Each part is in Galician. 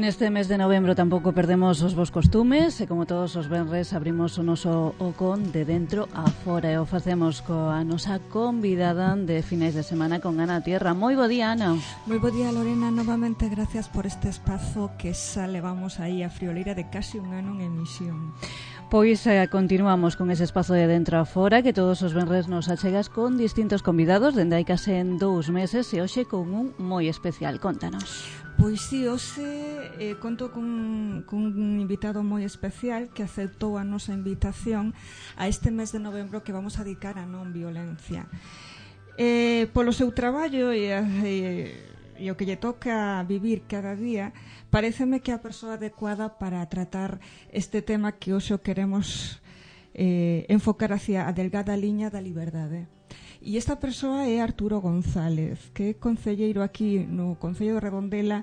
neste mes de novembro tampouco perdemos os vos costumes e como todos os venres abrimos o noso ocón de dentro a fora e o facemos coa nosa convidada de finais de semana con Ana Tierra. Moi bo día, Ana. Moi bo día, Lorena. Novamente gracias por este espazo que xa levamos aí a frioleira de casi un ano en emisión. Pois continuamos con ese espazo de dentro a fora que todos os venres nos achegas con distintos convidados dende hai case 2 meses e hoxe con un moi especial. Contanos. Pois sí, hoxe conto cun invitado moi especial que aceptou a nosa invitación a este mes de novembro que vamos a dedicar a non violencia. Polo seu traballo e o que lle toca vivir cada día, paréceme que é a persoa adecuada para tratar este tema que hoxe queremos enfocar hacia a delgada liña da liberdade. E esta persoa é Arturo González, que é concelleiro aquí no Concello de Redondela,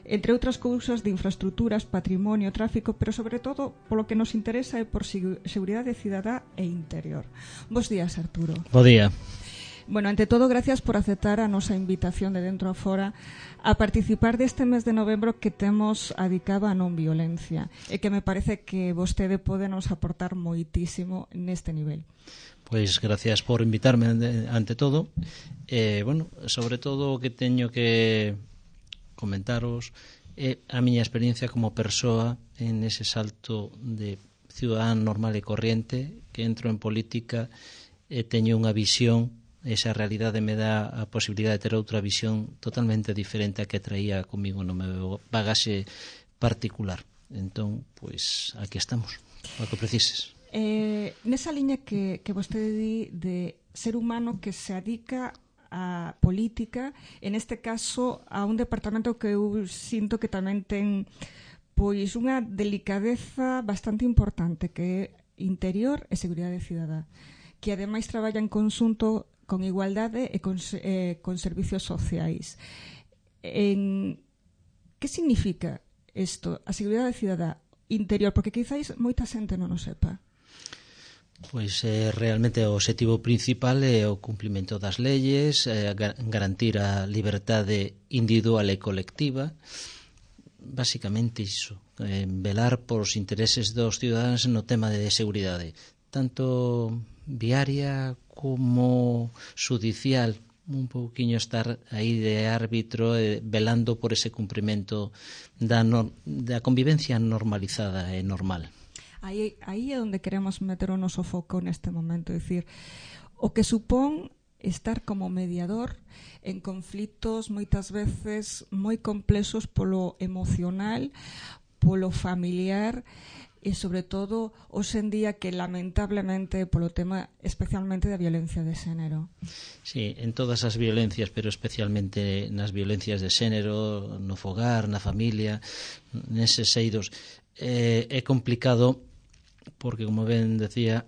entre outras cousas de infraestructuras, patrimonio, tráfico, pero sobre todo polo que nos interesa é por seguridade cidadá e interior. Bos días, Arturo. Bo día. Bueno, ante todo, gracias por aceptar a nosa invitación de dentro a fora a participar deste mes de novembro que temos dedicado a non violencia e que me parece que vostede pode nos aportar moitísimo neste nivel. Pois gracias por invitarme ante todo. Bueno, sobre todo o que teño que comentaros é a miña experiencia como persoa en ese salto de cidadán normal e corriente que entro en política e teño unha visión. Esa realidade me dá a posibilidade de ter outra visión totalmente diferente a que traía comigo no meu bagaxe particular. Entón, pois, aquí estamos, o que precises. Nesa liña que vostede di de ser humano que se adica a política, en este caso a un departamento que eu sinto que tamén ten pois unha delicadeza bastante importante, que é interior e seguridade cidadá, que ademais traballa en conxunto con igualdade e con servicios sociais. Que significa isto, a seguridade cidadá interior? Porque quizáis moita xente non o sepa. Pois realmente o obxectivo principal é o cumprimento das leyes, garantir a liberdade individual e colectiva, basicamente iso, velar por os intereses dos cidadáns no tema de seguridade, tanto viaria como judicial, un pouquiño estar aí de árbitro velando por ese cumprimento da convivencia normalizada e normal. Aí é onde queremos meter o noso foco neste momento, é dicir, o que supón estar como mediador en conflitos moitas veces moi complexos polo emocional, polo familiar e sobre todo hoxe en día que lamentablemente polo tema especialmente da violencia de xénero. Sí, en todas as violencias, pero especialmente nas violencias de xénero, no fogar, na familia, neses eidos, é complicado porque, como ben decía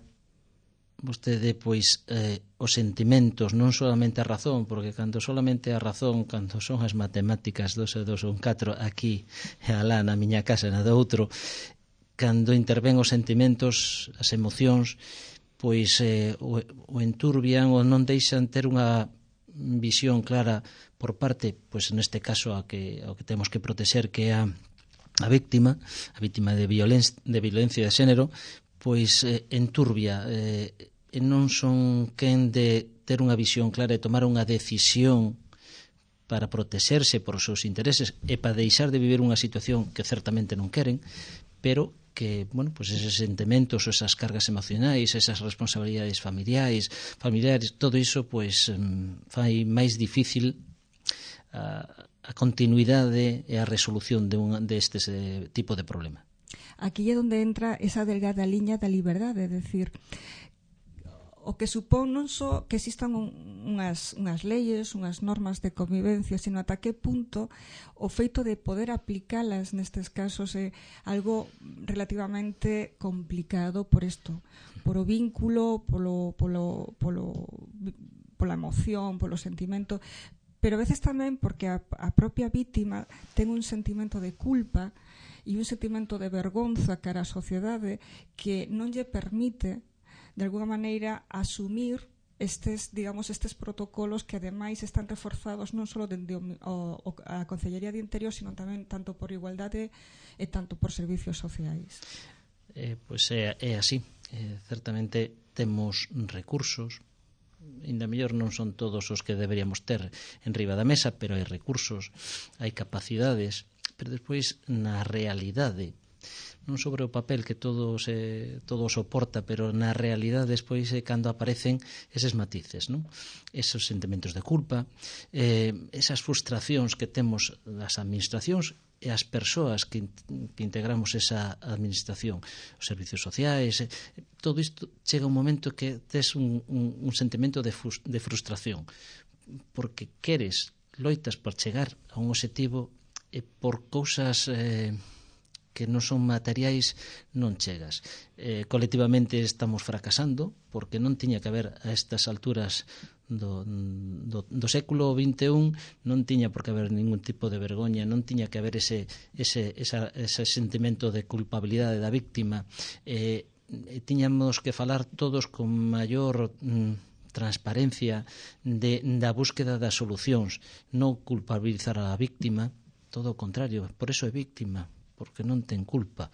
vostede, pois os sentimentos, non solamente a razón, porque cando solamente a razón, cando son as matemáticas 2 e 2 son 4 aquí e alá na miña casa na do outro, cando interven os sentimentos, as emocións, pois o enturbian ou non deixan ter unha visión clara por parte, pois neste caso ao que temos que protexer, que é a víctima de violencia de xénero, pois enturbia e non son quen de ter unha visión clara e tomar unha decisión para protexerse por os seus intereses e para deixar de vivir unha situación que certamente non queren, pero que, bueno, pues eses sentimentos, esas cargas emocionais, esas responsabilidades familiares, todo iso, pues, fai máis difícil a continuidade e a resolución deste tipo de problema. Aquí é onde entra esa delgada liña da liberdade, é dicir, o que supón non só que existan unhas leyes, unhas normas de convivencia, sino ata que punto o feito de poder aplicalas nestes casos é algo relativamente complicado por isto, por o vínculo, pola emoción, polo sentimento, pero a veces tamén porque a propia vítima ten un sentimento de culpa e un sentimento de vergonza cara á sociedade que non lle permite de alguna maneira asumir estes protocolos que ademais están reforzados non só dende a Consellería de Interior, sino tamén tanto por igualdade e tanto por servicios sociais. Pois é así. Certamente temos recursos, ainda mellor non son todos os que deberíamos ter en riba da mesa, pero hai recursos, hai capacidades, pero despois na realidade, non sobre o papel que todo soporta, pero na realidade despois é cando aparecen eses matices, non? Esos sentimentos de culpa, esas frustracións que temos das administracións e as persoas que integramos esa administración, os servicios sociais, todo isto chega un momento que tes un sentimento de frustración, porque queres, loitas por chegar a un objetivo e por cousas que non son materiais non chegas. Colectivamente estamos fracasando porque non tiña que haber a estas alturas do século XXI, non tiña por que haber ningún tipo de vergoña, non tiña que haber ese sentimento de culpabilidade da víctima. Tiñamos que falar todos con maior transparencia da búsqueda das solucións, non culpabilizar a víctima, todo o contrario, por eso é víctima, porque non ten culpa,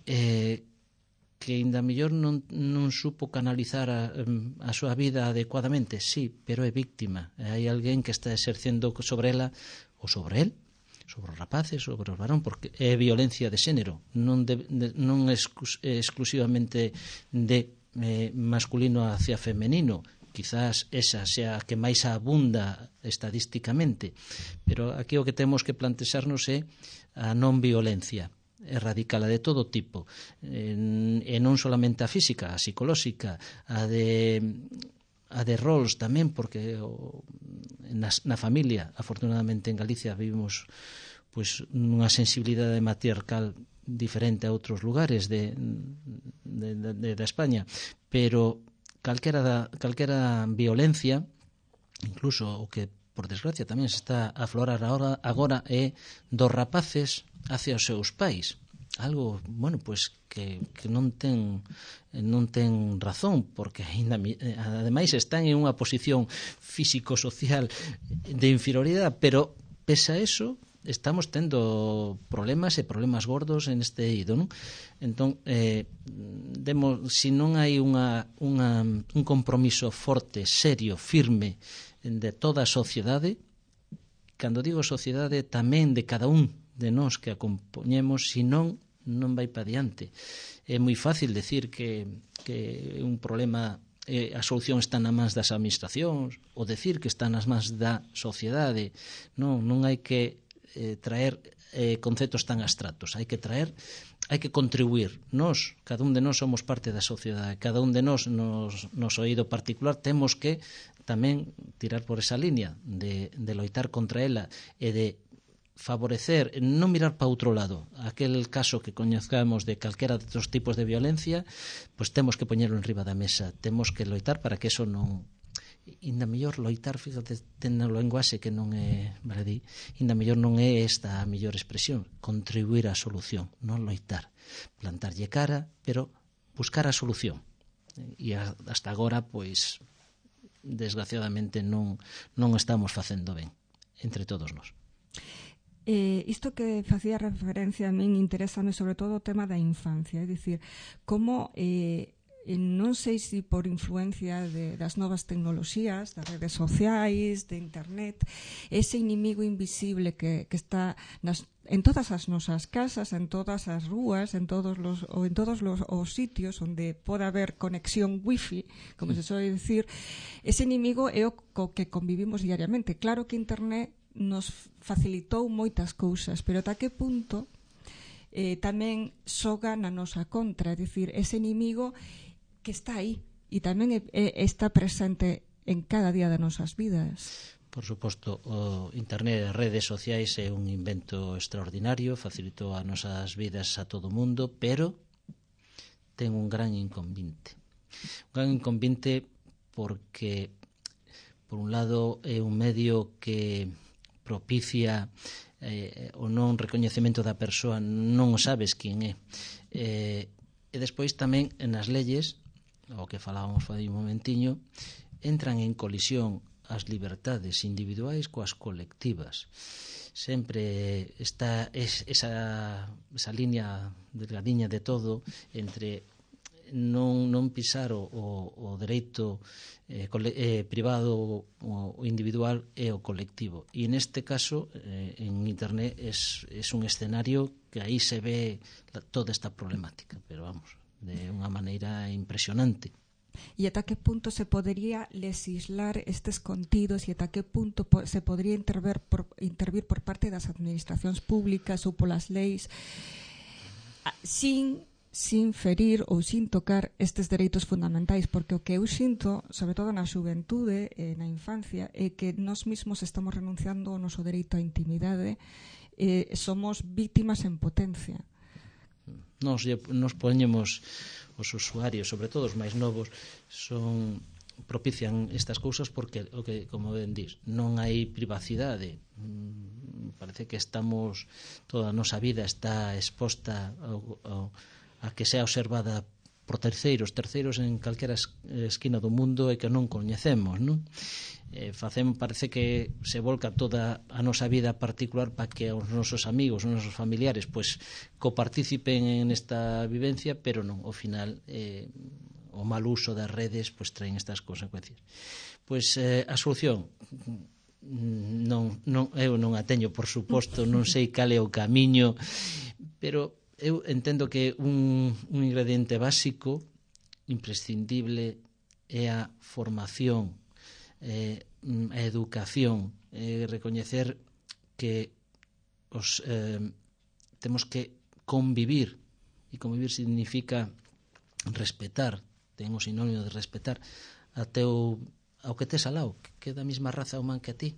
que ainda mellor non supo canalizar a súa vida adecuadamente, sí, pero é víctima, hai alguén que está exercendo sobre ela ou sobre el, sobre os rapaces, sobre os varón, porque é violencia de xénero, non exclusivamente de masculino hacia femenino. Quizás esa sea a que máis abunda estadísticamente, pero aquí o que temos que plantexarnos é a non violencia, erradicala de todo tipo, e non solamente a física, a psicolóxica, a de roles tamén, porque na familia, afortunadamente en Galicia vivimos pois unha sensibilidade matriarcal diferente a outros lugares de España, pero calquera violencia, incluso o que por desgracia tamén se está a aflorar agora é dos rapaces hacia os seus pais, algo, bueno, pois que non ten razón, porque ademais están en unha posición físico-social de inferioridade, pero pese a eso estamos tendo problemas gordos en este eido, non? Entón, si non hai un compromiso forte, serio, firme de toda a sociedade, cando digo sociedade tamén de cada un de nós que a compoñemos, senón non vai para diante. É moi fácil decir que un problema, a solución está nas mans das administracións, ou decir que está nas mans da sociedade. Non hai que traer conceptos tan abstractos, hai que contribuir. Nós, cada un de nós somos parte da sociedade, cada un de nós nos oído particular temos que tamén tirar por esa línea de loitar contra ela e de favorecer, non mirar para outro lado. Aquel caso que coñezcamos de calquera dos tipos de violencia, pois temos que poñerlo en riba da mesa, temos que loitar para que eso non... Inda mellor loitar, fíjate, ten o lenguaxe que non é baladí, inda mellor non é esta a mellor expresión, contribuir á solución, non loitar, plantarlle cara, pero buscar a solución. E hasta agora, pois, desgraciadamente non estamos facendo ben entre todos nós. Isto que facía referencia a min interésame sobre todo o tema da infancia, é dicir, como non sei se por influencia das novas tecnoloxías, das redes sociais, de internet, ese inimigo invisible que está en todas as nosas casas, en todas as rúas, en todos os sitios onde pode haber conexión wifi, como se soe dicir, ese inimigo é o co que convivimos diariamente. Claro que internet nos facilitou moitas cousas, pero ata que punto tamén xoga na nosa contra, é dicir, ese inimigo que está aí e tamén está presente en cada día das nosas vidas. Por suposto, o internet e as redes sociais é un invento extraordinario, facilitou as nosas vidas a todo o mundo, pero ten un gran inconveniente. Un gran inconveniente porque, por un lado, é un medio que propicia o non recoñecemento da persoa, non sabes quen é. E despois tamén nas leyes, o que falábamos fai un momentiño, entran en colisión as libertades individuais coas colectivas. Sempre está esa línea delgadiña de todo entre non pisar o dereito privado o individual e o colectivo. E neste caso, en Internet, é un escenario que aí se ve toda esta problemática, pero vamos, de unha maneira impresionante. E ata que punto se podería legislar estes contidos e ata que punto se podría intervir por parte das administracións públicas ou polas leis sin ferir ou sin tocar estes dereitos fundamentais, porque o que eu sinto, sobre todo na xuventude e na infancia, é que nós mesmos estamos renunciando ao noso dereito á intimidade e somos vítimas en potencia. Nos poñemos os usuarios, sobre todo os máis novos, propician estas cousas porque, como ben dís, non hai privacidade. Parece que toda a nosa vida está exposta a que sea observada por terceiros en calquera esquina do mundo e que non coñecemos, non? Parece que se volca toda a nosa vida particular para que os nosos amigos, os nosos familiares coparticipen en esta vivencia, pero non, ao final o mal uso das redes traen estas consecuencias. A solución eu non a teño, por suposto, non sei cal é o camiño, pero eu entendo que un ingrediente básico imprescindible é a formación, a educación, recoñecer que temos que convivir, e convivir significa respetar, ten o sinónimo de respetar ao que tes ao lado, que é da mesma raza humana que a ti,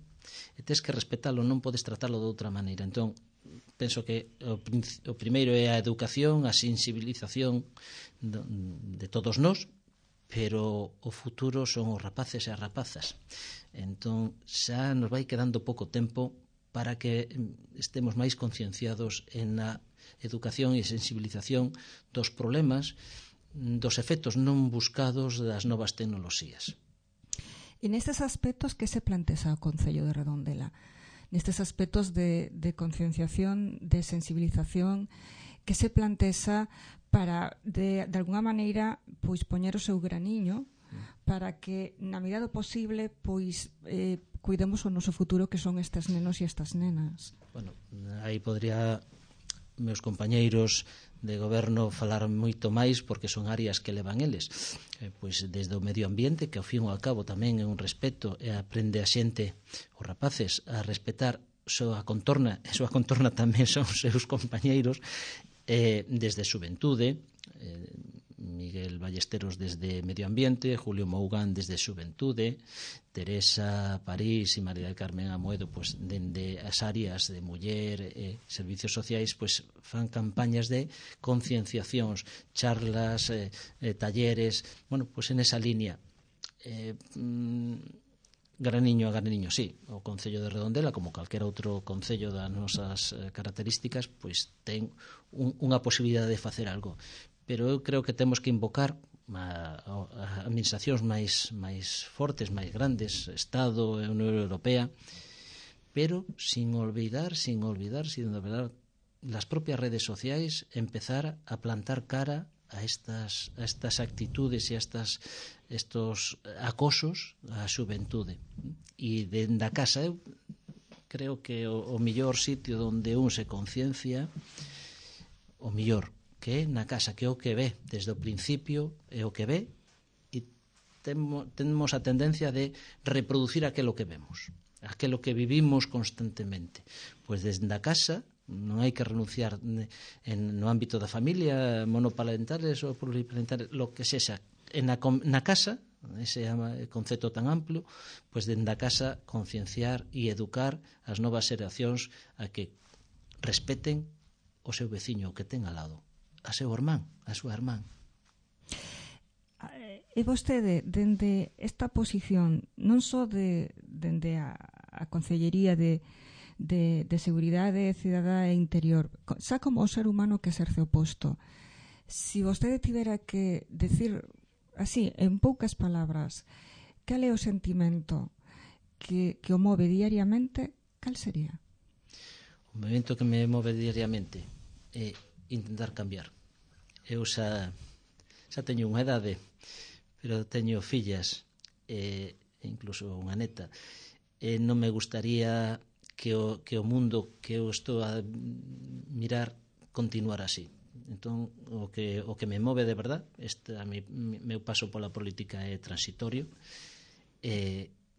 e tes que respetalo, non podes tratalo de outra maneira. Entón, penso que o primeiro é a educación, a sensibilización de todos nós, pero o futuro son os rapaces e as rapazas. Entón, xa nos vai quedando pouco tempo para que estemos máis concienciados en a educación e sensibilización dos problemas, dos efectos non buscados das novas tecnoloxías. E nestes aspectos, que se plantea o Concello de Redondela? Nestes aspectos de concienciación, de sensibilización, que se plantea para, de alguna maneira, poñer o seu graniño para que, na medida do posible, cuidemos o noso futuro, que son estes nenos e estas nenas. Bueno, aí podría meus compañeiros de goberno falar moito máis, porque son áreas que levan eles, desde o medio ambiente, que ao fin e ao cabo tamén é un respeto, e aprende a xente, os rapaces, a respetar a súa contorna, e a súa contorna tamén son os seus compañeiros, desde Xuventude, Miguel Ballesteros desde Medio Ambiente, Julio Mougán desde Xuventude, Teresa París e María del Carmen Amoedo dende as áreas de muller e servicios sociais fan campañas de concienciacións, charlas, talleres, en esa línea. Graniño a graniño, sí, o Concello de Redondela, como calquera outro concello das nosas características, ten unha posibilidade de facer algo. Pero eu creo que temos que invocar a administracións máis fortes, máis grandes, Estado e Unión Europea, pero sin olvidar las propias redes sociais, empezar a plantar cara a estas actitudes e a estos acosos á xuventude. E dende a casa eu creo que o mellor sitio onde un se conciencia, o mellor que é na casa, que é o que ve desde o principio, é o que ve, e temos a tendencia de reproducir aquilo que vemos, aquilo que vivimos constantemente. Desde a casa non hai que renunciar no ámbito da familia, monoparentales ou pluriparentales, lo que sexa, na casa, ese concepto tan amplio, dende a casa concienciar e educar as novas xeracións a que respeten o seu veciño, o que ten al lado, a seu irmán, a súa irmán. E vostede, dende esta posición, non só dende a Concellería de Seguridade Cidadá e Interior, xa como o ser humano que exerce o posto, si vostede tivera que decir así, en poucas palabras, cal é o sentimento que o move diariamente, cal sería? O movimento que me move diariamente é intentar cambiar. Eu xa teño unha edade, pero teño fillas e incluso unha neta, e non me gustaría que o mundo que eu estou a mirar continuar así. Entón, o que me move de verdad, meu paso pola política é transitorio,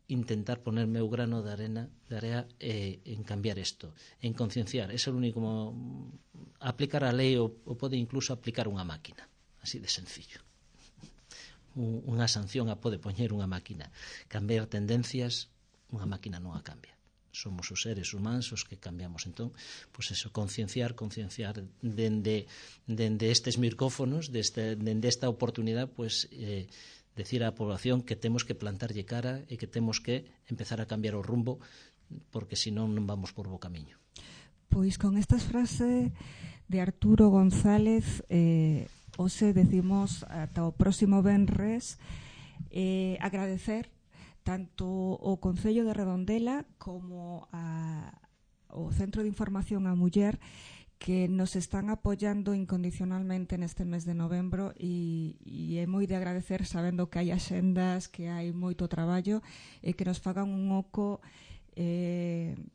intentar poner meu grano de area en cambiar isto, en concienciar. É o único, aplicar a lei ou pode incluso aplicar unha máquina, así de sencillo. Unha sanción a pode poñer unha máquina. Cambiar tendencias, unha máquina non a cambia. Somos os seres humanos os que cambiamos. Entón, pois eso, concienciar dende estes micrófonos, dende esta oportunidade, pois decir á población que temos que plantarlle cara e que temos que empezar a cambiar o rumbo, porque senón non vamos por bo camiño. Pois con estas frases de Arturo González, hoxe decimos ata o próximo venres, agradecer tanto o Concello de Redondela como o Centro de Información á Muller, que nos están apoiando incondicionalmente neste mes de novembro, e é moi de agradecer, sabendo que hai axendas, que hai moito traballo, e que nos fagan un oco.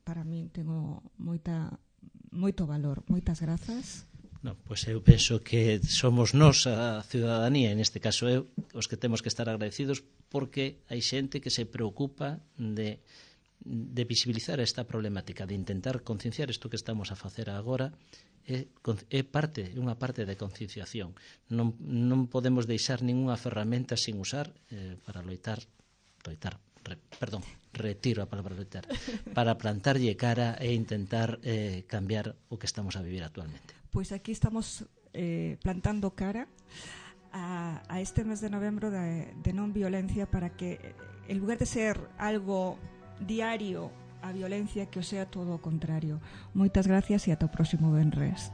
Para min tengo moito valor. Moitas grazas. Non, pois eu penso que somos nós, a ciudadanía, en este caso eu, os que temos que estar agradecidos, porque hai xente que se preocupa de visibilizar esta problemática, de intentar concienciar isto que estamos a facer agora. É unha parte de concienciación. Non podemos deixar ningunha ferramenta sin usar para retiro a palabra loitar, para plantarlle cara e intentar cambiar o que estamos a vivir actualmente. Pois aquí estamos plantando cara a este mes de novembro de non violencia, para que en lugar de ser algo diario a violencia, que o sea todo o contrario. Moitas gracias e ata o próximo venres.